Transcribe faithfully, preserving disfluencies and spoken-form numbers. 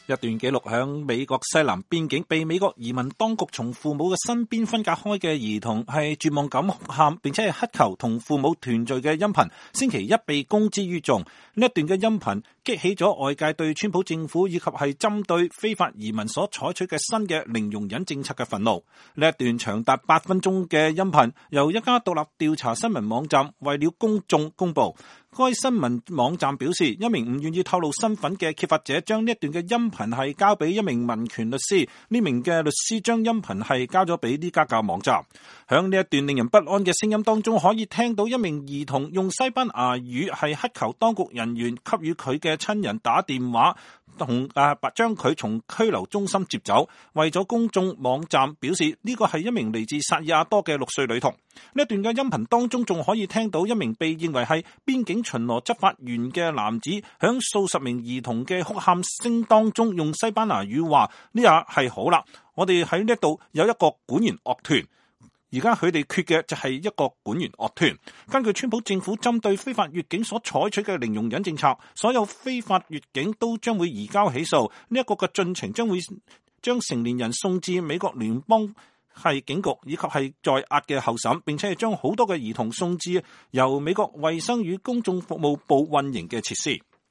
一段記錄響美國西南邊境被美國移民當局從父母嘅身邊分隔開嘅兒童係絕望咁哭喊，並且係乞求同父母團聚嘅音頻，星期一被公之於眾。呢一段嘅音頻激起咗外界對川普政府以及係針對非法移民所採取嘅新嘅零容忍政策嘅憤怒。呢一段長達八分鐘嘅音頻由一家獨立調查新聞網站為了公眾公布。該新聞網站表示，一名唔願意透露身份嘅揭發者將呢一段嘅音頻係交俾一名民權律師，呢名嘅律師將音頻係交咗俾呢家嘅網站。響呢一段令人不安嘅聲音當中，可以聽到一名兒童用西班牙語係乞求當局人員給予佢嘅親人打電話，同誒將佢從拘留中心接走。為咗公眾網站表示呢個係一名嚟自薩爾亞多嘅六歲女童。呢一段嘅音頻當中仲可以聽到一名被認為係邊境巡邏執法員嘅男子響數十名兒童嘅哭喊聲當中用西班牙語話：呢下係好啦，我哋喺呢度有一個管弦樂團，而家佢哋缺嘅就係一個管弦樂團。根據川普政府針對非法越境所採取嘅零容忍政策，所有非法越境都將會移交起訴。呢一個嘅進程將會將成年人送至美國聯邦係警局以及係在押嘅候審，並且係將好多嘅兒童送至由美國衛生與公眾服務部運營嘅設施。